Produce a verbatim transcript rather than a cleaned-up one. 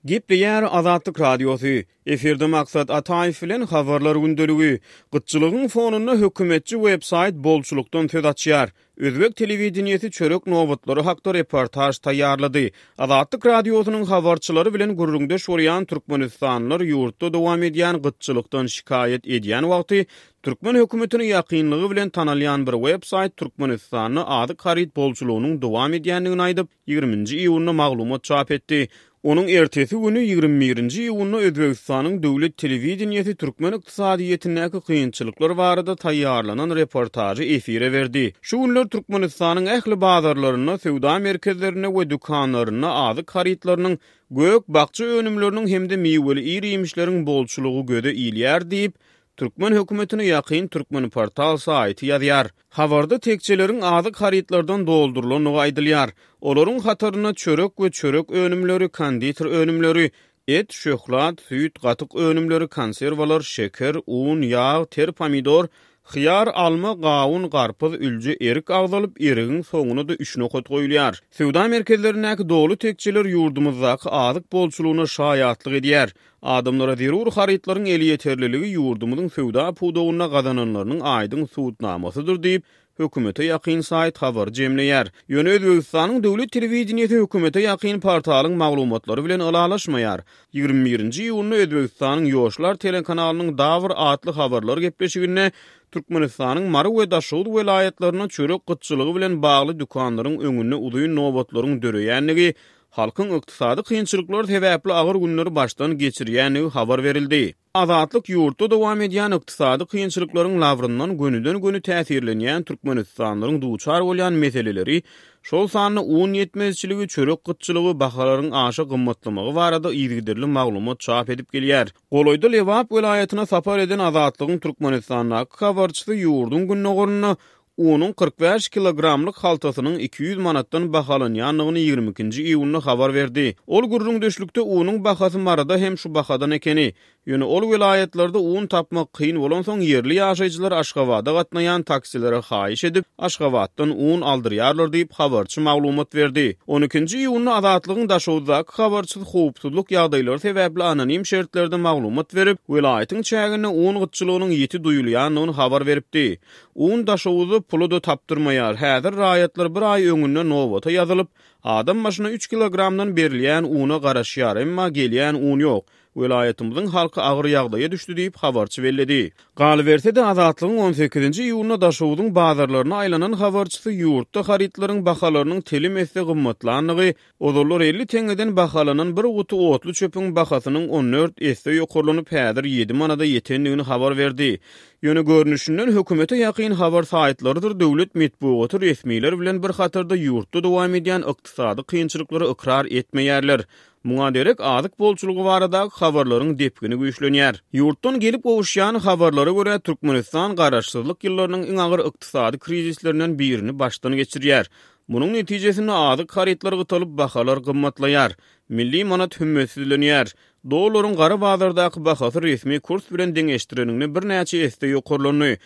Gepleýär Azatlyk Radiosy. Efirde Maksat Ataýew bilen Habarlar gündeligi. Gytçylygyň fonunda hökümetçi websaýt bolçulykdan söz açýar. Özbek telewideniýesi çörek nobatlary hakda reportaž taýýarlady. Azatlyk Radiosynyň habarçylary bilen gürrüňdeş bolýan türkmenistanlylar ýurtda dowam edýän gytçylykdan şikaýat edýän wagty türkmen hökümetine ýakynlygy bilen tanalýan bir websaýt Türkmenistanda azyk haryt bolçulygynyň dowam edýändigini aýdyp, ýigriminji iýunda maglumat çap etdi. Onuň ertesi güni ýigrimi birinji iýunda Özbegistanyň döwlet telewideniýesi türkmen ykdysadyýetindäki kynçylyklar barada taýýarlanan reportažy efire berdi. Şu günler Türkmenistanyň ähli bazarlarynda, söwda merkezlerinde we dükanlarynda azyk harytlarynyň, gök-bakja önümleriniň hem-de miweli ir-iýmişleriň bolçulygy göze ilýär diýip, türkmen hökümetine ýakyn Türkmenportal saýty ýazýar. Habarda tekjeleriň azyk harytlardan doldurylandygy aýdylýar. Olaryň hatarynda çörek we çörek önümleri, konditer önümleri, et, şöhlat, süýt, gatyk önümleri, konserwalar, şeker, un, ýag, ter pomidor, hyýar, alma, gawun, garpyz, ülje, erik agzalyp, erigiň soňuna-da üç nokat goýulýar. Söwda merkezlerindäki doly tekjeler ýurdumyzdaky azyk bolçulygyna şaýatlyk edýär. Adamlara zerur harytlaryň elýeterliligi ýurdumyzyň söwda pudagynda gazananlarynyň aýdyň subutnamasydyr diýip, hökümete ýakyn saýt habary jemleýär. Ýöne Özbegistanyň döwlet telewideniýesi hökümete ýakyn portalyň maglumatlary bilen ylalaşmaýar. Ýigrimi birinji iýunda Özbegistanyň Ýoşlar telekanalynyň Dawr atly habarlar gepleşiginde Türkmenistanyň Mary we Daşoguz welaýatlarynda çörek gytçylygy bilen bagly dükanlaryň öňünde uzyn nobatlaryň döreýändigi, halkyň ykdysady kynçylyklar sebäpli agyr günleri başdan geçirýändigi habar berildi. Azatlyk ýurtda dowam edýän ykdysady kynçylyklaryň labryndan gönüden-göni täsirlenýän türkmenistanlylaryň duçar bolýan meseleleri, şol sanda un ýetmezçiligi, çörek gytçylygy, bahalaryň aşa gymmatlamagy barada yzygiderli maglumat çap edip gelýär. Golaýda Lebap welaýatyna sapar eden Azatlygyň Türkmenistandaky habarçysy ýurduň gündogarynda unuň kyrk bäş kilogramlyk haltasynyň iki ýüz manatdan bahalanýandygyny ýigrimi ikinji iýunda habar berdi. Ol gürrüňdeşlikde unuň bahasy Maryda hem şu bahadan ekeni. Ýöne ol welaýatlarda un tapmak kyn bolansoň ýerli ýaşaýjylar Aşgabada gatnaýan taksilere haýyş edip, Aşgabatdan un aldyrýarlar diýip habarçy maglumat berdi. On ikinji iýunda Azatlygyň Daşoguzdaky habarçysy howpsuzlyk ýagdaýlary sebäpli anonim şertlerde maglumat berip, welaýatyň çäginde un gytçylygynyň ýiti duýulýandygyny habar beripdi. Un Daşoguzda puly-da tapdyrmaýar. Häzir raýatlar bir aý öňünde nobata ýazylyp, adam başyna üç kilogramdan berilýän una garaşýar, emma gelýän un ýok. Welaýatymyzyň halky agyr ýagdaýa düşdi diýip habarçy belledi. Galyberse-de Azatlygyň on sekizinji iýunda Daşogzuň bazarlaryna aýlanan habarçysy ýurtda harytlaryň bahalarynyň telim esse gymmatlandygy, ozallar elli teňňeden bahalanan bir guty otly çöpüň bahasynyň on dört esse ýokarlanyp häzir ýedi manada ýetendigini habar berdi. Ýöne görnüşinden hökümete ýakyn habar saýtlarydyr döwlet metbugaty resmiler bilen bir hatarda ýurtda dowam edýän ykdysady kynçylyklary ykrar etmeýärler. Muňa derek azyk bolçulygy baradaky habarlaryň depgini güýçlenýär. Ýurtdan gelip gowuşýan habarlara görä Türkmenistan garaşsyzlyk ýyllarynyň iň agyr ykdysady krizislerinden birini başdan geçirýär. Munuň netijesinde azyk harytlary gytalyp bahalar gymmatlaýar. Milli manat hümmetsizlenýär. Dollaryň gara bazardaky bahasy resmi kurs bilen deňeşdireninde birnäçe esse ýokarlandy.